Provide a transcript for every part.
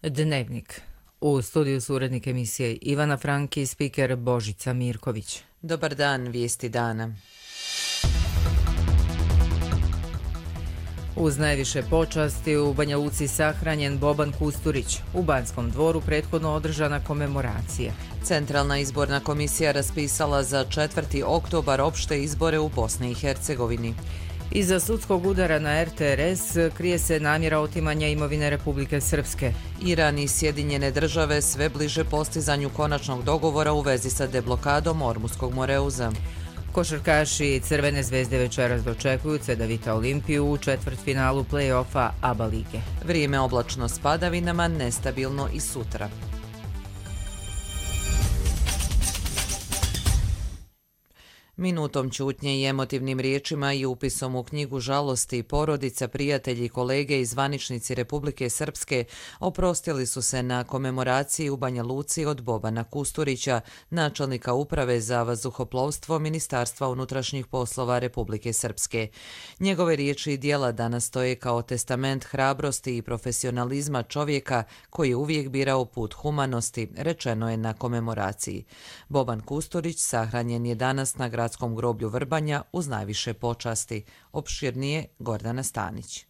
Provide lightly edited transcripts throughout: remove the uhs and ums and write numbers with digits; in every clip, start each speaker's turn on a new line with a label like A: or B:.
A: Dnevnik. U studiju su urednik emisije Ivana Franki i spiker Božica Mirković.
B: Dobar dan, vijesti dana.
A: Uz najviše počasti u Banja Luci sahranjen Boban Kusturić. U Banskom dvoru prethodno održana komemoracija.
B: Centralna izborna komisija raspisala za 4. oktobar opšte izbore u Bosni i Hercegovini.
A: Iza sudskog udara na RTRS krije se namjera otimanja imovine Republike Srpske.
B: Iran i Sjedinjene države sve bliže postizanju konačnog dogovora u vezi sa deblokadom Ormuskog Moreuza.
A: Košarkaši Crvene zvezde večeras dočekuju Cedevita Olimpiju u četvrtfinalu play-offa ABA lige.
B: Vrijeme oblačno s padavinama, nestabilno i sutra. Minutom ćutnje i emotivnim riječima i upisom u knjigu žalosti porodica, prijatelji, kolege i zvaničnici Republike Srpske oprostili su se na komemoraciji u Banja Luci od Bobana Kusturića, načelnika uprave za vazduhoplovstvo Ministarstva unutrašnjih poslova Republike Srpske. Njegove riječi i djela danas stoje kao testament hrabrosti i profesionalizma čovjeka koji je uvijek birao put humanosti, rečeno je na komemoraciji. Boban Kusturić sahranjen je danas na gradskom groblju Vrbanja uz najviše počasti. Opširnije Gordana Stanić.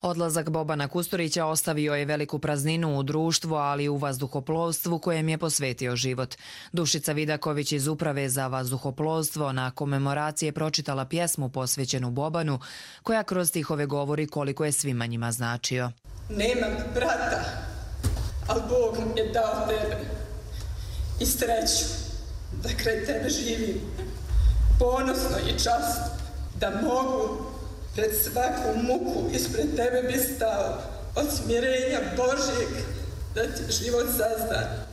C: Odlazak Bobana Kusturića ostavio je veliku prazninu u društvu, ali i u vazduhoplovstvu kojem je posvetio život. Dušica Vidaković iz Uprave za vazduhoplovstvo na komemoraciji je pročitala pjesmu posvećenu Bobanu, koja kroz stihove govori koliko je svima njima značio.
D: Nemam brata, ali Bog mi je dao tebe i sreću da kraj tebe živim. Ponosno i časno da mogu pred svaku muku ispred tebe bi stao od smirenja Božjeg da ti život sazda.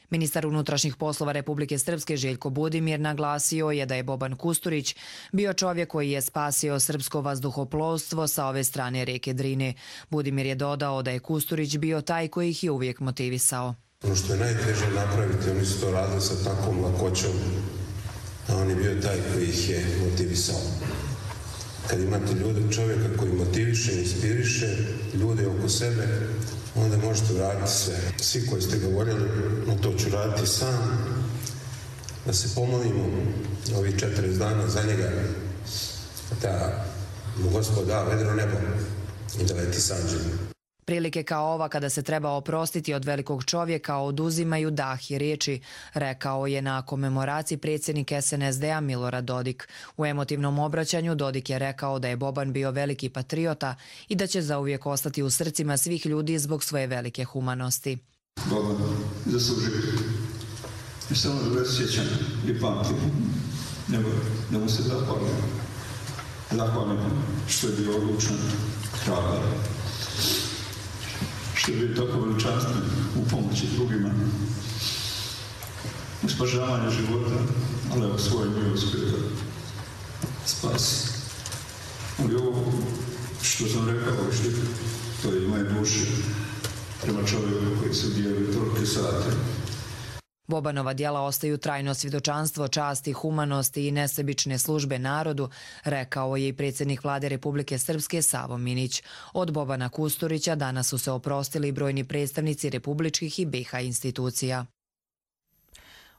C: Ministar unutrašnjih poslova Republike Srpske Željko Budimir naglasio je da je Boban Kusturić bio čovjek koji je spasio srpsko vazduhoplovstvo sa ove strane rijeke Drine. Budimir je dodao da je Kusturić bio taj koji ih je uvijek motivisao.
E: Ono što je najteže napraviti, oni su to radili sa takvom lakoćom, a on je bio taj koji ih je motivisao. Kad imate čovjeka koji motiviše, inspiriše ljude oko sebe, onda možete uraditi sve. Svi koji ste govorili, no to ću raditi sam, da se pomolimo ovih 40 dana za njega, da mu Gospod da vedro nebo i da leti s anđelima.
C: Prilike kao ova kada se treba oprostiti od velikog čovjeka oduzimaju dah i riječi, rekao je na komemoraciji predsjednik SNSD-a Milorad Dodik. U emotivnom obraćanju Dodik je rekao da je Boban bio veliki patriota i da će zauvijek ostati u srcima svih ljudi zbog svoje velike humanosti.
F: Boban zaslužio ne samo da se sjećam i pamtim, nego da mu se zahvalim što je bio odlučan, hrabar, što je bio tako veličanstven u pomoći drugima, u spašavanju života, ali evo svoje milost koje da spasi. Ali ovo što sam rekao, to je moje duše prema čovjeku koji se dijeli tolike sate.
C: Bobanova djela ostaju trajno svjedočanstvo časti, humanosti i nesebične službe narodu, rekao je i predsjednik vlade Republike Srpske Savo Minić. Od Bobana Kusturića danas su se oprostili brojni predstavnici republičkih i BiH institucija.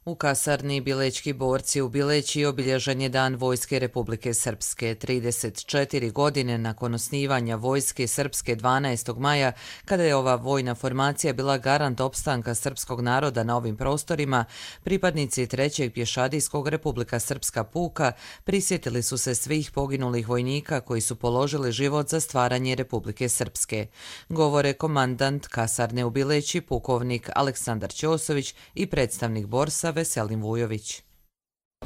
B: U kasarni Bilećki borci u Bileći obilježen je Dan Vojske Republike Srpske. 34 godine nakon osnivanja Vojske Srpske 12. maja, kada je ova vojna formacija bila garant opstanka srpskog naroda na ovim prostorima, pripadnici 3. pješadijskog Republika Srpska puka prisjetili su se svih poginulih vojnika koji su položili život za stvaranje Republike Srpske. Govore komandant kasarne u Bileći, pukovnik Aleksandar Ćosović i predstavnik borsa Veselin Vujović.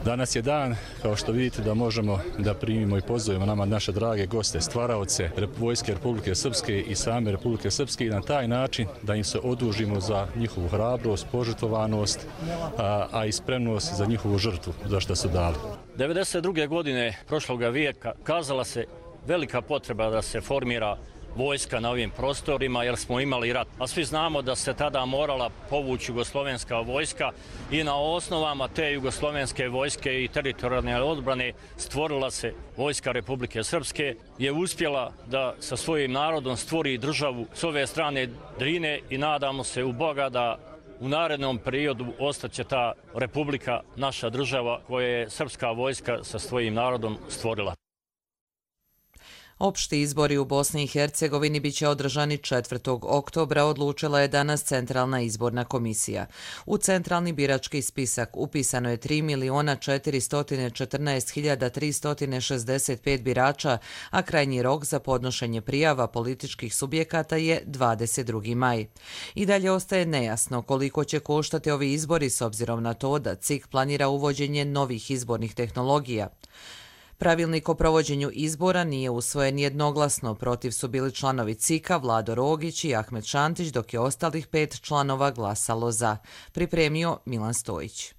G: Danas je dan, kao što vidite, da možemo da primimo i pozovemo nama naše drage goste, stvaraoce Vojske Republike Srpske i same Republike Srpske i na taj način da im se odužimo za njihovu hrabrost, požrtvovanost, a i spremnost za njihovu žrtvu, za što su dali.
H: 92. godine prošlog vijeka kazala se velika potreba da se formira vojska na ovim prostorima jer smo imali rat. A svi znamo da se tada morala povući jugoslovenska vojska i na osnovama te jugoslovenske vojske i teritorijalne odbrane stvorila se vojska Republike Srpske, je uspjela da sa svojim narodom stvori državu s ove strane Drine i nadamo se u Boga da u narednom periodu ostaće ta republika, naša država koju je srpska vojska sa svojim narodom stvorila.
B: Opšti izbori u Bosni i Hercegovini biće održani 4. oktobra, odlučila je danas Centralna izborna komisija. U centralni birački spisak upisano je 3.414.365 birača, a krajnji rok za podnošenje prijava političkih subjekata je 22. maj. I dalje ostaje nejasno koliko će koštati ovi izbori s obzirom na to da CIK planira uvođenje novih izbornih tehnologija. Pravilnik o provođenju izbora nije usvojen jednoglasno, protiv su bili članovi CIK-a Vlado Rogić i Ahmed Šantić, dok je ostalih 5 članova glasalo za. Pripremio Milan Stojić.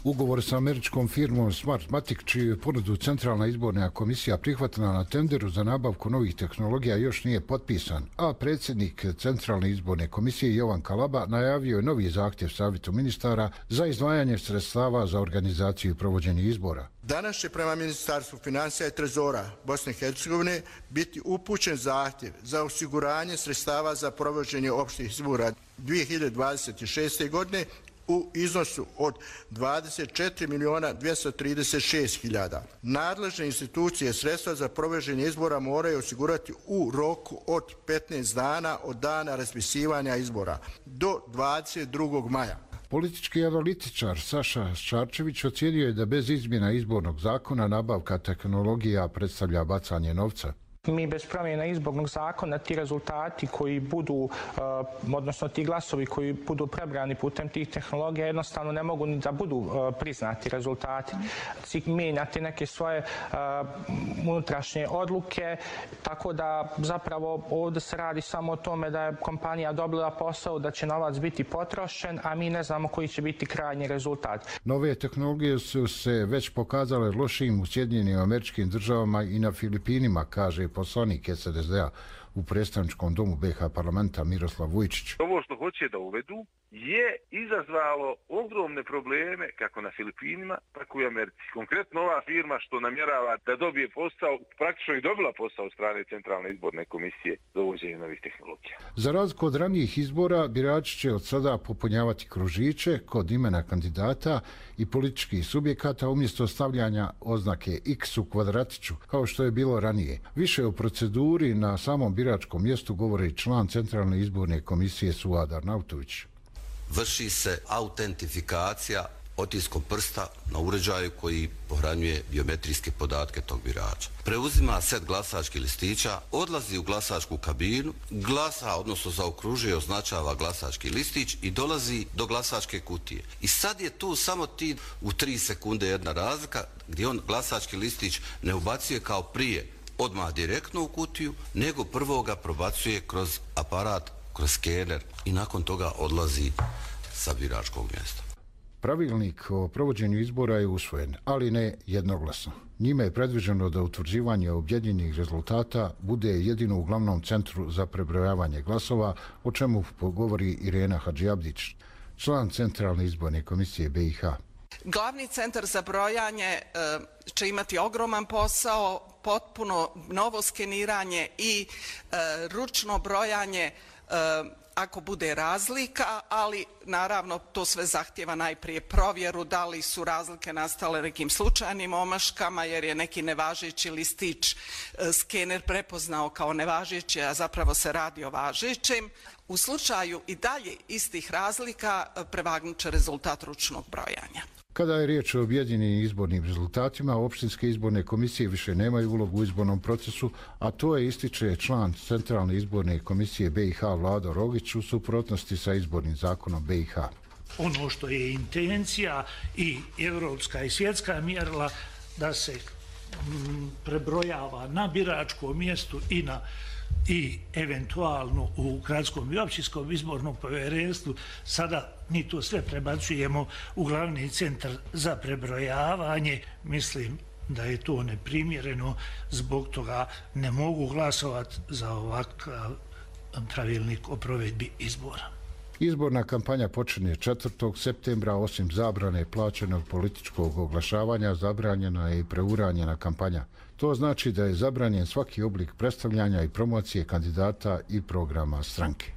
I: Ugovor sa američkom firmom Smartmatic, čiju je ponudu Centralna izborna komisija prihvatila na tenderu za nabavku novih tehnologija, još nije potpisan, a predsjednik Centralne izborne komisije Jovan Kalaba najavio je novi zahtjev Savjetu ministara za izdvajanje sredstava za organizaciju i provođenje izbora.
J: Danas će prema Ministarstvu financija i trezora Bosne i Hercegovine biti upućen zahtjev za osiguranje sredstava za provođenje opštih izbora 2026. godine u iznosu od 24.236.000. Nadležne institucije sredstva za provođenje izbora moraju osigurati u roku od 15 dana od dana raspisivanja izbora do 22. maja.
I: Politički analitičar Saša Šarčević ocijenio je da bez izmjena izbornog zakona nabavka tehnologija predstavlja bacanje novca.
K: Mi bez promjena izbornog zakona ti rezultati koji budu, odnosno ti glasovi koji budu prebrani putem tih tehnologija jednostavno ne mogu ni da budu priznati rezultati. CIK mijenja te neke svoje unutrašnje odluke, tako da zapravo ovdje se radi samo o tome da je kompanija dobila posao, da će novac biti potrošen, a mi ne znamo koji će biti krajnji rezultat.
I: Nove tehnologije su se već pokazale lošim u Sjedinjenim Američkim Državama i na Filipinima, kaže poslanik SNSD-a u predstavničkom domu BiH parlamenta Miroslav Vujčić.
L: Ovo što hoće da uvedu je izazvalo ogromne probleme kako na Filipinima, tako i u Americi. Konkretno ova firma što namjerava da dobije posao, praktično i dobila posao od strane Centralne izborne komisije za uvođenje novih tehnologija.
I: Za razliku od ranijih izbora, birači će od sada popunjavati kružiće kod imena kandidata i političkih subjekata umjesto stavljanja oznake X u kvadratiću, kao što je bilo ranije. Više o proceduri na samom biračkom mjestu govori član Centralne izborne komisije Suad Arnautović.
M: Vrši se autentifikacija otiskom prsta na uređaju koji pohranjuje biometrijske podatke tog birača. Preuzima set glasačkih listića, odlazi u glasačku kabinu, glasa, odnosno zaokružuje, označava glasački listić i dolazi do glasačke kutije. I sad je tu samo ti u 3 sekunde jedna razlika gdje on glasački listić ne ubacuje kao prije odmah direktno u kutiju, nego prvo ga probacuje kroz aparat, kroz skener i nakon toga odlazi sa biračkog mjesta.
I: Pravilnik o provođenju izbora je usvojen, ali ne jednoglasno. Njime je predviđeno da utvrđivanje objedinjenih rezultata bude jedino u glavnom centru za prebrojavanje glasova, o čemu govori Irena Hadžiabdić, član Centralne izborne komisije BiH.
N: Glavni centar za brojanje će imati ogroman posao, potpuno novo skeniranje i ručno brojanje ako bude razlika, ali naravno to sve zahtjeva najprije provjeru da li su razlike nastale nekim slučajnim omaškama jer je neki nevažeći listić skener prepoznao kao nevažeći, a zapravo se radi o važećem. U slučaju i dalje istih razlika prevagnut će rezultat ručnog brojanja.
I: Kada je riječ o objedinjenim izbornim rezultatima, opštinske izborne komisije više nemaju ulogu u izbornom procesu, a to je ističe član Centralne izborne komisije BiH Vlado Rogić u suprotnosti sa izbornim zakonom BiH.
O: Ono što je intencija i evropska i svjetska mjerila da se prebrojava na biračkom mjestu i eventualno u gradskom i općinskom izbornom povjerenstvu, sada mi to sve prebacujemo u glavni centar za prebrojavanje. Mislim da je to neprimjereno, zbog toga ne mogu glasovati za ovakav pravilnik o provedbi izbora.
I: Izborna kampanja počinje 4. septembra, osim zabrane plaćenog političkog oglašavanja, zabranjena je i preuranjena kampanja. To znači da je zabranjen svaki oblik predstavljanja i promocije kandidata i programa stranke.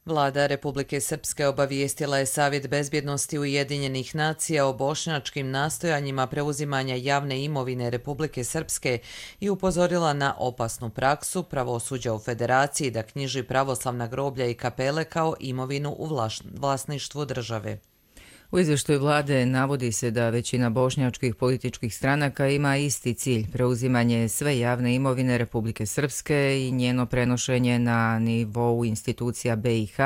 B: Vlada Republike Srpske obavijestila je Savjet bezbjednosti Ujedinjenih nacija o bošnjačkim nastojanjima preuzimanja javne imovine Republike Srpske i upozorila na opasnu praksu pravosuđa u Federaciji da knjiži pravoslavna groblja i kapele kao imovinu u vlasništvu države.
A: U izvještaju vlade navodi se da većina bošnjačkih političkih stranaka ima isti cilj, preuzimanje sve javne imovine Republike Srpske i njeno prenošenje na nivou institucija BiH,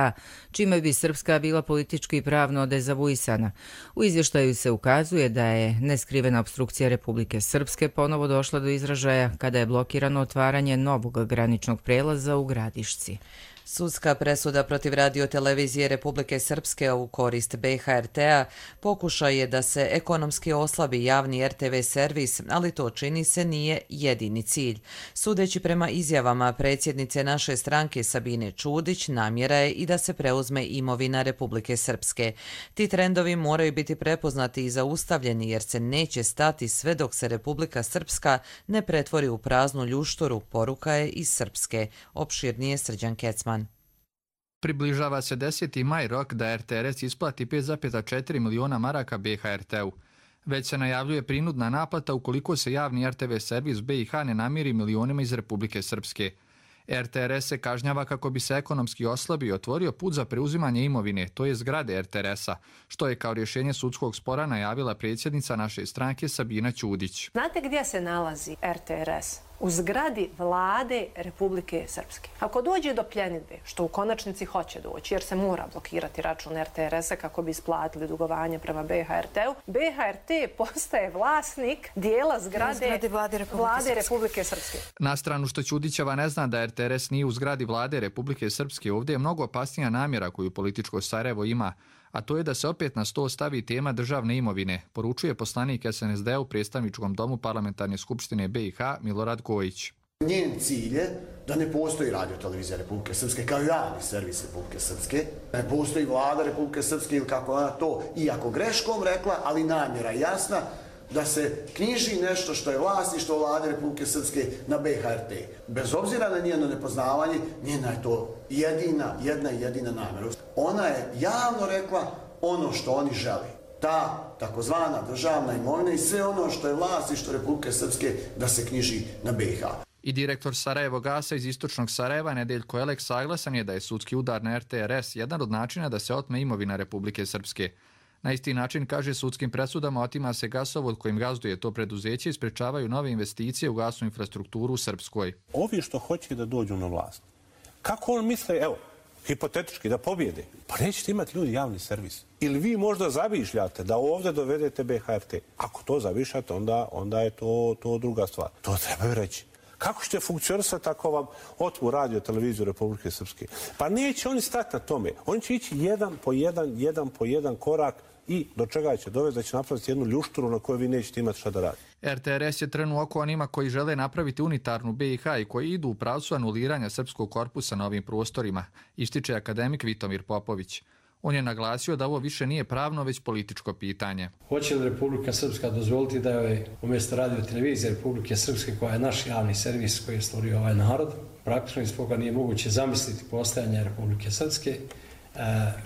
A: čime bi Srpska bila politički i pravno dezavuisana. U izvještaju se ukazuje da je neskrivena opstrukcija Republike Srpske ponovo došla do izražaja kada je blokirano otvaranje novog graničnog prelaza u Gradišci.
B: Sudska presuda protiv radiotelevizije Republike Srpske u korist BHRT-a pokušaj je da se ekonomski oslabi javni RTV servis, ali to čini se nije jedini cilj. Sudeći prema izjavama predsjednice naše stranke Sabine Čudić, namjera je i da se preuzme imovina Republike Srpske. Ti trendovi moraju biti prepoznati i zaustavljeni jer se neće stati sve dok se Republika Srpska ne pretvori u praznu ljušturu, poruka je iz Srpske. Opširnije Srđan Kecman.
P: Približava se 10. maj rok da RTRS isplati 5,4 miliona maraka BHRT-u. Već se najavljuje prinudna naplata ukoliko se javni RTV servis BiH ne namiri milionima iz Republike Srpske. RTRS se kažnjava kako bi se ekonomski oslabio i otvorio put za preuzimanje imovine, to je zgrade RTRS-a, što je kao rješenje sudskog spora najavila predsjednica naše stranke Sabina Ćudić.
Q: Znate gdje se nalazi RTRS? U zgradi vlade Republike Srpske. Ako dođe do pljenidbe, što u konačnici hoće doći, jer se mora blokirati račun RTRS-a kako bi isplatili dugovanje prema BHRT-u, BHRT postaje vlasnik dijela zgrade vlade Republike Srpske.
P: Na stranu što Ćudićeva ne zna da RTRS nije u zgradi vlade Republike Srpske, ovdje je mnogo opasnija namjera koju političko Sarajevo ima, a to je da se opet na sto stavi tema državne imovine, poručuje poslanik SNSD u predstavničkom domu Parlamentarne skupštine BiH Milorad Gojić.
R: Njen cilj je da ne postoji radiotelevizija Republike Srpske kao javni servis Republike Srpske, ne postoji vlada Republike Srpske ili kako ona to, iako greškom rekla, ali namjera jasna, da se knjiži nešto što je vlasništvo vlade Republike Srpske na BHRT. Bez obzira na njeno nepoznavanje, njena je to jedina namjera. Ona je javno rekla ono što oni žele. Ta takozvana državna imovina i sve ono što je vlasništvo Republike Srpske da se knjiži na BiH.
P: I direktor Sarajevo Gasa iz istočnog Sarajeva, Nedeljko Elek, saglasan je da je sudski udar na RTRS jedan od načina da se otme imovina Republike Srpske. Na isti način, kaže, sudskim presudama otima se gasovod kojim gazduje to preduzeće i sprečavaju nove investicije u gasnu infrastrukturu u Srpskoj.
S: Ovi što hoće da dođu na vlast, kako on misle, evo, hipotetički da pobjede, pa nećete imati ljudi javni servis. Ili vi možda zavišljate da ovdje dovedete BHRT. Ako to zavišljate, onda je to druga stvar. To trebaju reći. Kako ćete funkcionisati ako vam otmu radio televiziju Republike Srpske? Pa neće oni stati na tome. Oni će ići jedan po jedan korak i do čega će dovesti da će napraviti jednu ljušturu na kojoj vi nećete imati šta da radite.
P: RTRS je trenuo oko onima koji žele napraviti unitarnu BiH i koji idu u pravcu anuliranja srpskog korpusa na ovim prostorima, ističe akademik Vitomir Popović. On je naglasio da ovo više nije pravno, već političko pitanje.
T: Hoće li Republika Srpska dozvoliti da je umjesto radio televizije Republike Srpske, koja je naš javni servis koji je stvorio ovaj narod, praktično iz koga nije moguće zamisliti postojanje Republike Srpske,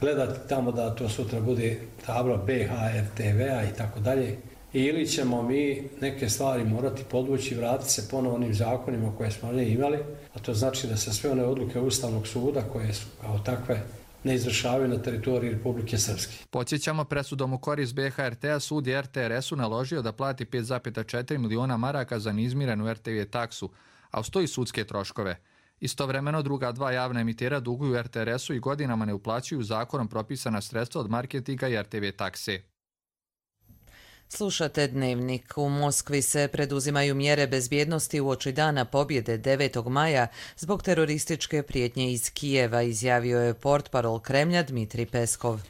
T: gledati tamo da to sutra bude tabla BH, RTV-a i tako dalje, ili ćemo mi neke stvari morati podvući i vratiti se ponovo onim zakonima koje smo imali, a to znači da se sve one odluke Ustavnog suda koje su kao takve ne izvršavaju na teritoriji Republike Srpske.
P: Podsjećamo, presudom u korist BHRT-a sud je RTRS-u naložio da plati 5,4 miliona maraka za neizmirenu RTV taksu, a uz to i sudske troškove. Istovremeno druga dva javna emitera duguju RTRS-u i godinama ne uplaćuju zakonom propisana sredstva od marketinga i RTV takse.
B: Slušate Dnevnik. U Moskvi se preduzimaju mjere bezbjednosti uoči dana pobjede 9. maja zbog terorističke prijetnje iz Kijeva, izjavio je portparol Kremlja Dmitrij Peskov.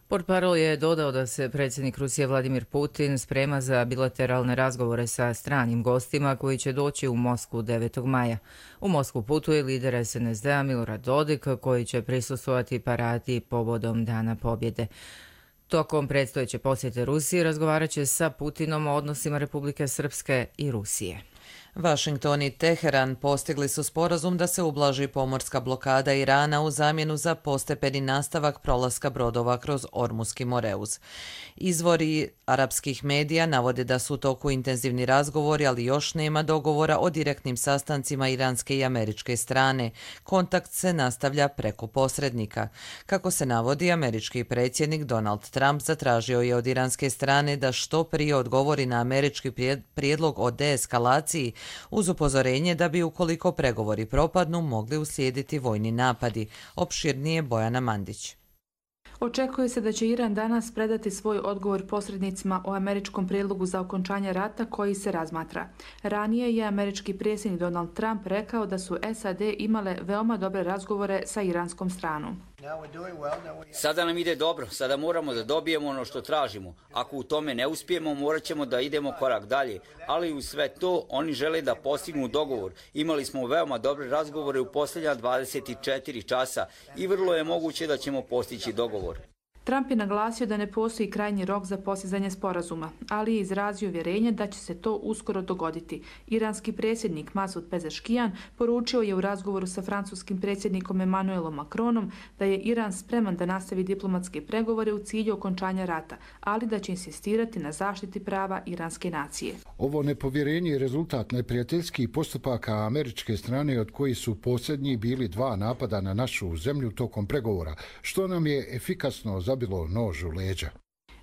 A: Portparol je dodao da se predsjednik Rusije Vladimir Putin sprema za bilateralne razgovore sa stranim gostima koji će doći u Moskvu 9. maja. U Moskvu putuje lider SNSD-a Milorad Dodik koji će prisustvovati paradi povodom Dana pobjede. Tokom predstojeće posjete Rusije razgovarat će sa Putinom o odnosima Republike Srpske i Rusije.
B: Washington i Teheran postigli su sporazum da se ublaži pomorska blokada Irana u zamjenu za postepeni nastavak prolaska brodova kroz Ormuski Moreuz. Izvori arapskih medija navode da su u toku intenzivni razgovori, ali još nema dogovora o direktnim sastancima iranske i američke strane. Kontakt se nastavlja preko posrednika. Kako se navodi, američki predsjednik Donald Trump zatražio je od iranske strane da što prije odgovori na američki prijedlog o deeskalaciji, uz upozorenje da bi ukoliko pregovori propadnu mogli uslijediti vojni napadi. Opširnije Bojana Mandić.
U: Očekuje se da će Iran danas predati svoj odgovor posrednicima o američkom prijedlogu za okončanje rata koji se razmatra. Ranije je američki predsjednik Donald Trump rekao da su SAD imale veoma dobre razgovore sa iranskom stranom.
V: Sada nam ide dobro, sada moramo da dobijemo ono što tražimo. Ako u tome ne uspijemo, morat ćemo da idemo korak dalje. Ali u sve to, oni žele da postignu dogovor. Imali smo veoma dobre razgovore u posljednja 24 časa i vrlo je moguće da ćemo postići dogovor.
U: Trump je naglasio da ne postoji krajnji rok za postizanje sporazuma, ali je izrazio uvjerenje da će se to uskoro dogoditi. Iranski predsjednik Masud Pezeškijan poručio je u razgovoru sa francuskim predsjednikom Emmanuelom Macronom da je Iran spreman da nastavi diplomatske pregovore u cilju okončanja rata, ali da će insistirati na zaštiti prava iranske nacije.
I: Ovo nepovjerenje je rezultat neprijateljskih postupaka američke strane, od koji su posljednji bili 2 napada na našu zemlju tokom pregovora, što nam je efikasno zabilo nož u leđa.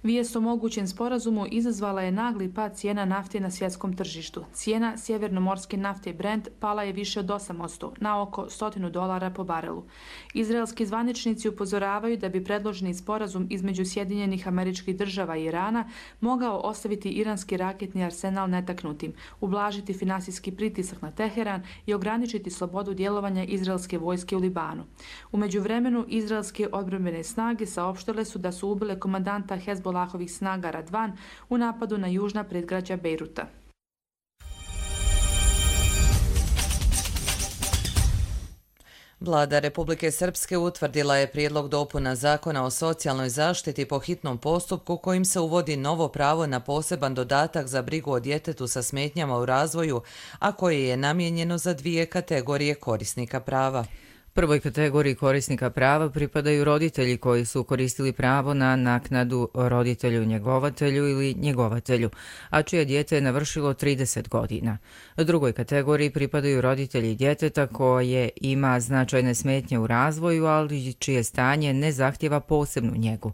U: Vijest o mogućem sporazumu izazvala je nagli pad cijena nafte na svjetskom tržištu. Cijena sjevernomorske nafte Brent pala je više od 8%, na oko $100 po barelu. Izraelski zvaničnici upozoravaju da bi predloženi sporazum između Sjedinjenih Američkih Država i Irana mogao ostaviti iranski raketni arsenal netaknutim, ublažiti finansijski pritisak na Teheran i ograničiti slobodu djelovanja izraelske vojske u Libanu. U međuvremenu, izraelske odbrambene snage saopštile su da su ubile komandanta Hezbollahovih snaga Radvan u napadu na južna predgrađa Bejruta.
B: Vlada Republike Srpske utvrdila je prijedlog dopuna Zakona o socijalnoj zaštiti po hitnom postupku kojim se uvodi novo pravo na poseban dodatak za brigu o djetetu sa smetnjama u razvoju, a koje je namijenjeno za 2 kategorije korisnika prava.
A: Prvoj kategoriji korisnika prava pripadaju roditelji koji su koristili pravo na naknadu roditelju njegovatelju ili njegovatelju, a čije dijete je navršilo 30 godina. Drugoj kategoriji pripadaju roditelji djeteta koje ima značajne smetnje u razvoju, ali čije stanje ne zahtjeva posebnu njegu.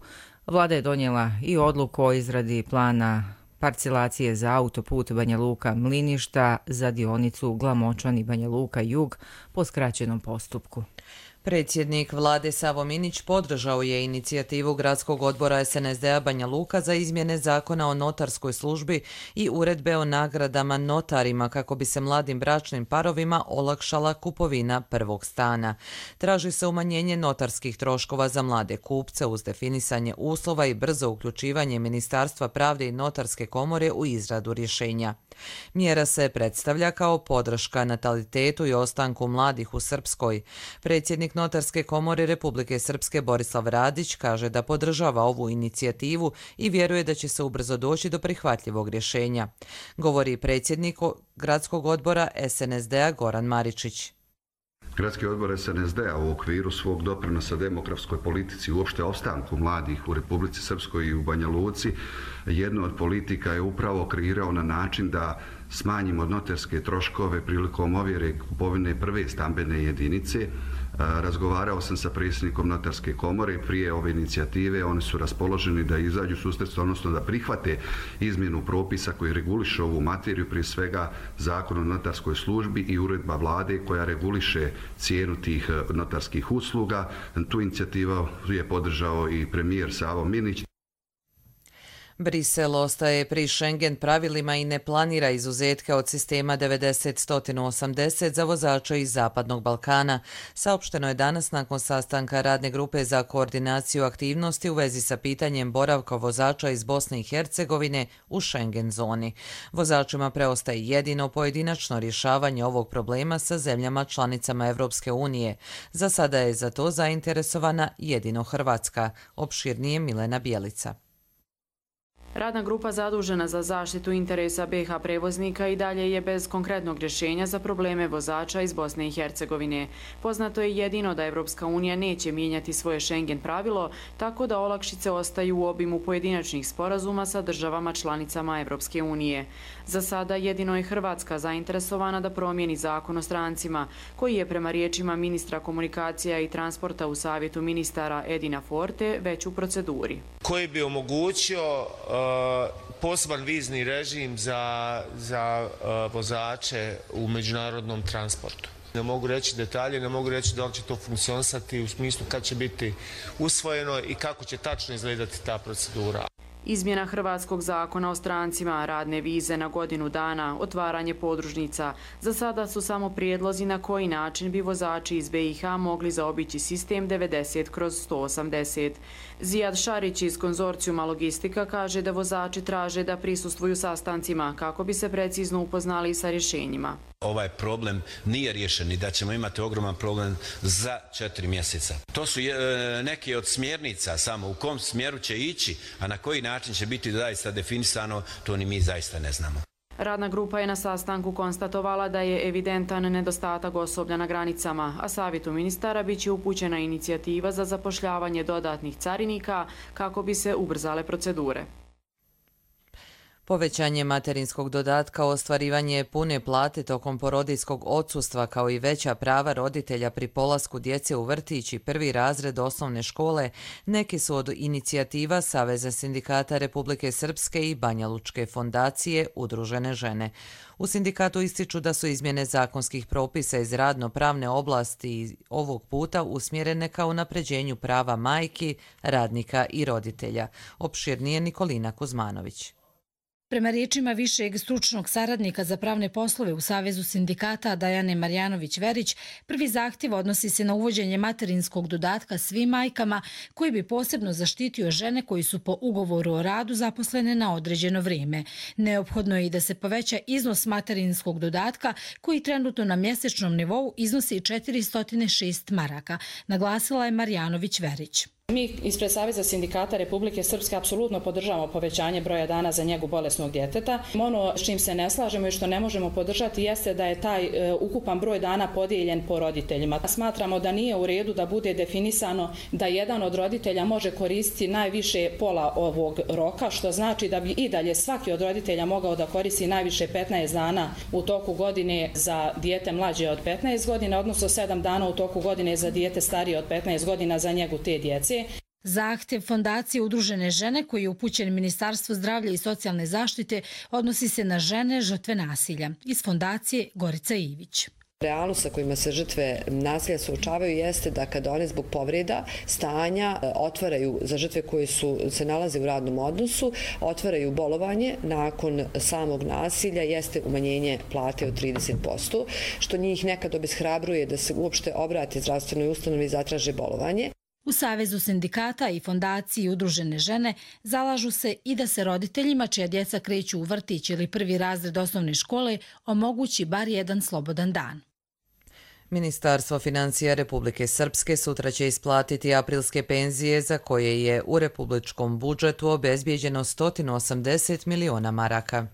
A: Vlada je donijela i odluku o izradi plana parcelacije za autoput Banja Luka-Mliništa za dionicu Glamočani-Banja Luka-Jug po skraćenom postupku.
B: Predsjednik Vlade Savo Minić podržao je inicijativu Gradskog odbora SNSD-a Banja Luka za izmjene zakona o notarskoj službi i uredbe o nagradama notarima kako bi se mladim bračnim parovima olakšala kupovina prvog stana. Traži se umanjenje notarskih troškova za mlade kupce uz definisanje uslova i brzo uključivanje Ministarstva pravde i Notarske komore u izradu rješenja. Mjera se predstavlja kao podrška natalitetu i ostanku mladih u Srpskoj. Predsjednik Notarske komore Republike Srpske Borislav Radić kaže da podržava ovu inicijativu i vjeruje da će se ubrzo doći do prihvatljivog rješenja. Govori predsjednik Gradskog odbora SNSD-a Goran Maričić.
W: Gradski odbor SNSD-a u okviru svog doprinosa demografskoj politici i uopšte opstanku mladih u Republici Srpskoj i u Banja Luci, jednu od politika je upravo kreirao na način da smanjimo notarske troškove prilikom ovjere kupovine prve stambene jedinice. Razgovarao sam sa predsjednikom Notarske komore prije ove inicijative, oni su raspoloženi da izađu susret, odnosno da prihvate izmjenu propisa koji reguliše ovu materiju, prije svega Zakon o notarskoj službi i uredba vlade koja reguliše cijenu tih notarskih usluga. Tu inicijativu je podržao i premijer Savo Minić.
B: Brisel ostaje pri Schengen pravilima i ne planira izuzetke od sistema 90-180 za vozače iz Zapadnog Balkana. Saopšteno je danas nakon sastanka radne grupe za koordinaciju aktivnosti u vezi sa pitanjem boravka vozača iz Bosne i Hercegovine u Schengen zoni. Vozačima preostaje jedino pojedinačno rješavanje ovog problema sa zemljama članicama Evropske unije. Za sada je za to zainteresovana jedino Hrvatska. Opširnije Milena Bjelica.
U: Radna grupa zadužena za zaštitu interesa BiH prevoznika i dalje je bez konkretnog rješenja za probleme vozača iz Bosne i Hercegovine. Poznato je jedino da Evropska unija neće mijenjati svoje Schengen pravilo, tako da olakšice ostaju u obimu pojedinačnih sporazuma sa državama članicama Evropske unije. Za sada jedino je Hrvatska zainteresovana da promijeni zakon o strancima, koji je prema riječima ministra komunikacija i transporta u Savjetu ministara Edina Forte već u proceduri.
D: Koji bi omogućio poseban vizni režim za vozače u međunarodnom transportu. Ne mogu reći detalje, ne mogu reći da li će to funkcionisati u smislu kad će biti usvojeno i kako će tačno izgledati ta procedura.
U: Izmjena hrvatskog zakona o strancima, radne vize na godinu dana, otvaranje podružnica. Za sada su samo prijedlozi na koji način bi vozači iz BiH mogli zaobići sistem 90/180. Zijad Šarić iz konzorcijuma Logistika kaže da vozači traže da prisustvuju sastancima kako bi se precizno upoznali sa rješenjima.
E: Ovaj problem nije riješen i da ćemo imati ogroman problem za 4 mjeseca. To su neke od smjernica samo u kom smjeru će ići, a na koji način će biti zaista definisano, to ni mi zaista ne znamo.
U: Radna grupa je na sastanku konstatovala da je evidentan nedostatak osoblja na granicama, a Savjetu ministara biće upućena inicijativa za zapošljavanje dodatnih carinika kako bi se ubrzale procedure.
B: Povećanje materinskog dodatka, ostvarivanje pune plate tokom porodijskog odsustva kao i veća prava roditelja pri polasku djece u vrtić i prvi razred osnovne škole neki su od inicijativa Saveza sindikata Republike Srpske i Banja Lučke fondacije Udružene žene. U sindikatu ističu da su izmjene zakonskih propisa iz radno-pravne oblasti ovog puta usmjerene ka unapređenju prava majki, radnika i roditelja. Opširnije Nikolina Kuzmanović.
F: Prema riječima višeg stručnog saradnika za pravne poslove u Savezu sindikata Dajane Marjanović-Verić, prvi zahtjev odnosi se na uvođenje materinskog dodatka svim majkama koji bi posebno zaštitio žene koji su po ugovoru o radu zaposlene na određeno vrijeme. Neophodno je i da se poveća iznos materinskog dodatka koji trenutno na mjesečnom nivou iznosi 406 maraka, naglasila je Marjanović-Verić.
X: Mi ispred Saveza sindikata Republike Srpske apsolutno podržavamo povećanje broja dana za njegu bolesnog djeteta. Ono s čim se ne slažemo i što ne možemo podržati jeste da je taj ukupan broj dana podijeljen po roditeljima. Smatramo da nije u redu da bude definisano da jedan od roditelja može koristiti najviše pola ovog roka, što znači da bi i dalje svaki od roditelja mogao da koristi najviše 15 dana u toku godine za dijete mlađe od 15 godina, odnosno 7 dana u toku godine za dijete starije od 15 godina za njegu te djece.
F: Zahtjev Fondacije Udružene žene koji je upućen Ministarstvu zdravlja i socijalne zaštite odnosi se na žene žrtve nasilja. Iz Fondacije Gorica Ivić.
Y: Realnost sa kojima se žrtve nasilja suočavaju jeste da kada one zbog povreda, stanja otvaraju za žrtve koje se nalaze u radnom odnosu, otvaraju bolovanje nakon samog nasilja, jeste umanjenje plate od 30%, što njih nekad obeshrabruje da se uopšte obrate zdravstvenoj ustanovi i zatraže bolovanje.
F: U Savezu sindikata i Fondaciji Udružene žene zalažu se i da se roditeljima čija djeca kreću u vrtić ili prvi razred osnovne škole omogući bar jedan slobodan dan.
B: Ministarstvo financija Republike Srpske sutra će isplatiti aprilske penzije za koje je u republičkom budžetu obezbijeđeno 180 miliona maraka.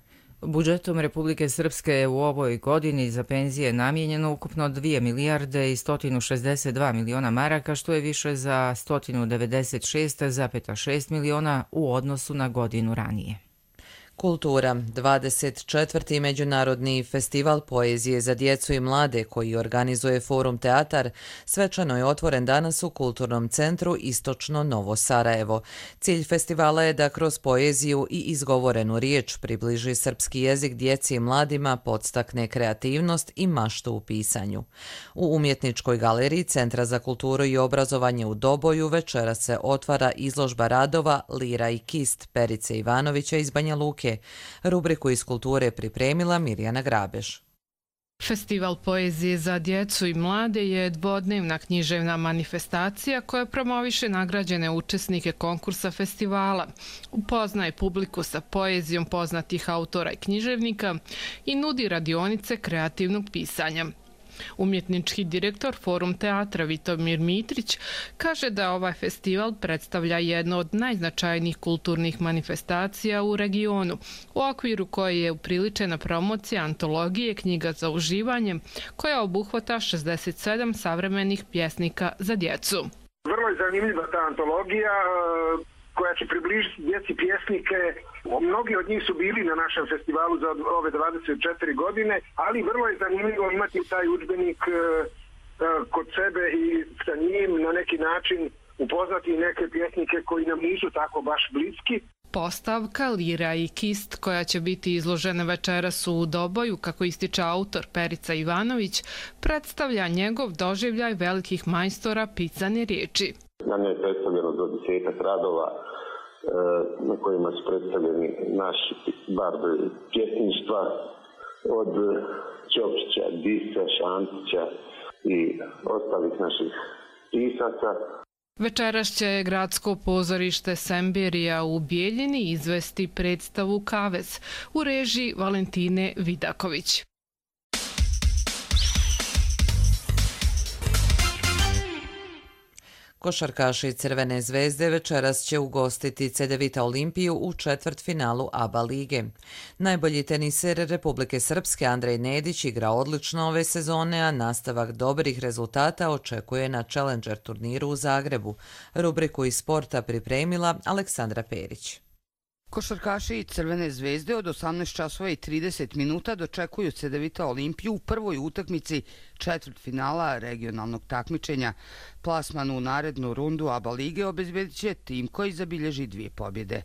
A: Budžetom Republike Srpske je u ovoj godini za penzije namijenjeno ukupno 2 milijarde i 162 miliona maraka, što je više za 196,6 miliona u odnosu na godinu ranije.
B: Kultura. 24. Međunarodni festival poezije za djecu i mlade koji organizuje Forum Teatar svečano je otvoren danas u Kulturnom centru Istočno Novo Sarajevo. Cilj festivala je da kroz poeziju i izgovorenu riječ približi srpski jezik djeci i mladima, podstakne kreativnost i maštu u pisanju. U umjetničkoj galeriji Centra za kulturu i obrazovanje u Doboju večeras se otvara izložba radova Lira i kist Perice Ivanovića iz Banja Luke. Rubriku iz kulture pripremila Mirjana Grabež.
C: Festival poezije za djecu i mlade je dvodnevna književna manifestacija koja promoviše nagrađene učesnike konkursa festivala, upoznaje publiku sa poezijom poznatih autora i književnika i nudi radionice kreativnog pisanja. Umjetnički direktor Forum Teatra Vitomir Mitrić kaže da ovaj festival predstavlja jedno od najznačajnijih kulturnih manifestacija u regionu, u okviru koje je upriličena promocija antologije knjiga za uživanje, koja obuhvata 67 savremenih pjesnika za djecu.
G: Vrlo je zanimljiva ta antologija koja će približiti djeci pjesnike. Mnogi od njih su bili na našem festivalu za ove 24 godine, ali vrlo je zanimljivo imati taj udžbenik kod sebe i sa njim na neki način upoznati neke pjesnike koji nam nisu tako baš bliski.
C: Postavka Lira i kist koja će biti izložena večeras u Doboju, kako ističe autor Perica Ivanović, predstavlja njegov doživljaj velikih majstora pisane riječi.
H: Na njoj je predstavljeno do 10 radova na kojima su predstavljeni naši bardovi pjesništva od Ćopića, Disa, Šantića i ostalih naših pisaca.
C: Večeras će gradsko pozorište Semberija u Bijeljini izvesti predstavu Kavez u režiji Valentine Vidaković.
B: Košarkaši Crvene zvezde večeras će ugostiti Cedevita Olimpiju u četvrtfinalu ABA lige. Najbolji teniser Republike Srpske Andrej Nedić igra odlično ove sezone, a nastavak dobrih rezultata očekuje na Challenger turniru u Zagrebu. Rubriku iz sporta pripremila Aleksandra Perić.
J: Košarkaši Crvene zvezde od 18 časova i 30 minuta dočekuju Cedevita Olimpiju u prvoj utakmici četvrtfinala regionalnog takmičenja. Plasman u narednu rundu ABA lige obezbedit će tim koji zabilježi 2 pobjede.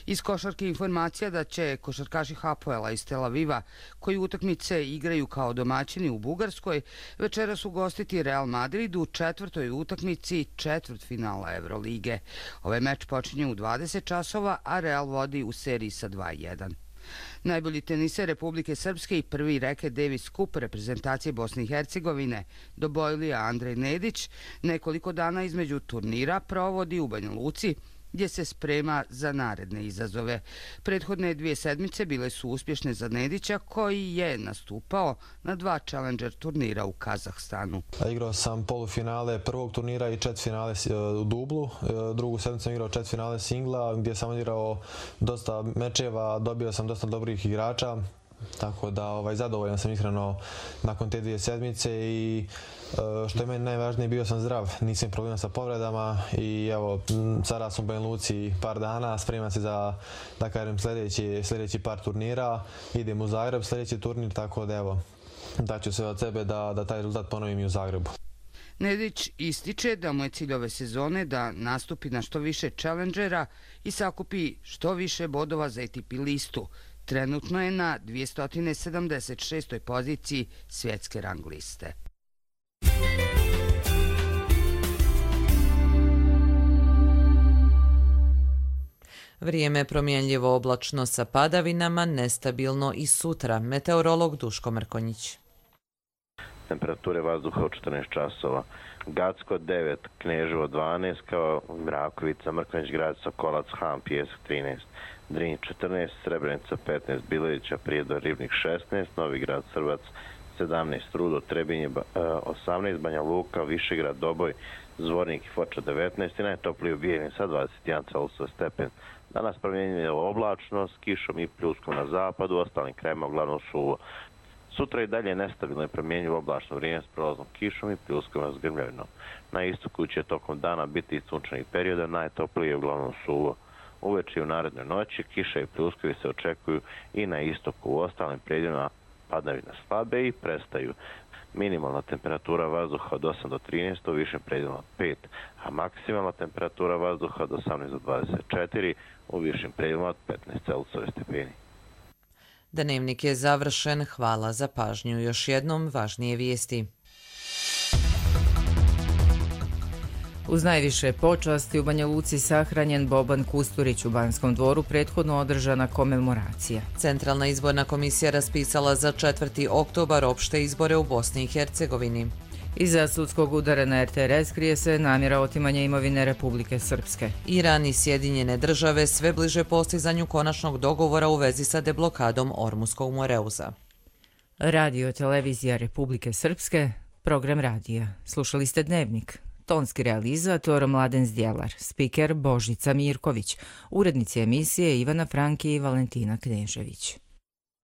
J: Iz košarke informacija da će košarkaši Hapoela iz Tel Aviva, koji utakmice igraju kao domaćini u Bugarskoj, večeras ugostiti Real Madrid u četvrtoj utakmici četvrtfinala Evrolige. Ovaj meč počinje u 20 časova, a Real vodi u seriji sa 2-1. Najbolji teniser Republike Srpske i prvi reket Davis Cup reprezentacije Bosne i Hercegovine Dobojlija Andrej Nedić nekoliko dana između turnira provodi u Banja Luci, gdje se sprema za naredne izazove. Prethodne 2 sedmice bile su uspješne za Nedića, koji je nastupao na 2 Challenger turnira u Kazahstanu.
K: Igrao sam polufinale prvog turnira i četvrtfinale u dublu. Drugu sedmicu sam igrao četvrtfinale singla, gdje sam odigrao dosta mečeva, dobio sam dosta dobrih igrača. Tako da zadovoljan sam iskreno nakon te 2 sedmice i što je meni najvažnije, bio sam zdrav, nisam problema sa povredama i evo, sada sam u Banja Luci par dana, spremam se za, da kažem, sljedeći par turnira, idem u Zagreb sljedeći turnir, tako da evo, daću sve od sebe da taj rezultat ponovim i u Zagrebu.
J: Nedić ističe da mu je cilj ove sezone da nastupi na što više challengera i sakupi što više bodova za ATP listu. Trenutno je na 276. poziciji svjetske rang liste.
B: Vrijeme je promjenljivo, oblačno sa padavinama, nestabilno i sutra. Meteorolog Duško Mrkonjić.
Z: Temperature vazduha od 14 časova. Gacko 9, Kneževo 12, kao Mrakovica, Mrkonjić grad, Sokolac, Han, Pijesak 13. Drinj 14, Srebrenica 15, Bilovića, Prijedor, Ribnik 16, Novigrad, Srbac 17, Rudo, Trebinje 18, Banja Luka, Višegrad, Doboj, Zvornik i Foča 19 i najtopliji u Bijeljini sa 21 Celsius stepen. Danas promjenjivo oblačno s kišom i pljuskom na zapadu, ostalim krajima uglavnom suvo. Sutra i dalje nestabilno i promjenjivo oblačno vrijeme s prolaznom kišom i pljuskom s grmljavinom. Na istoku će tokom dana biti i sunčanih perioda, najtoplije uglavnom suvo. Uveče i u narednoj noći kiša i pljuskovi se očekuju i na istoku. U ostalim predjelima padavine slabe i prestaju. Minimalna temperatura vazduha od 8 do 13, u višim predjelima od 5, a maksimalna temperatura vazduha od 18 do 24, u višim predjelima od 15 Celzijusovih stepeni.
B: Dnevnik je završen. Hvala za pažnju. Još jednom važnije vijesti.
A: Uz najviše počasti u Banja Luci sahranjen Boban Kusturić, u Banskom dvoru prethodno održana komemoracija.
B: Centralna izborna komisija raspisala za 4. oktobar opšte izbore u Bosni i Hercegovini.
A: Iza sudskog udara na RTRS krije se namjera otimanja imovine Republike Srpske.
B: Iran i Sjedinjene države sve bliže postizanju konačnog dogovora u vezi sa deblokadom Ormuskog Moreuza.
A: Radio televizija Republike Srpske, program radija. Slušali ste Dnevnik. Tonski realizator Mladen Zdjelar, spiker Božica Mirković, urednici emisije Ivana Franki i Valentina Knežević.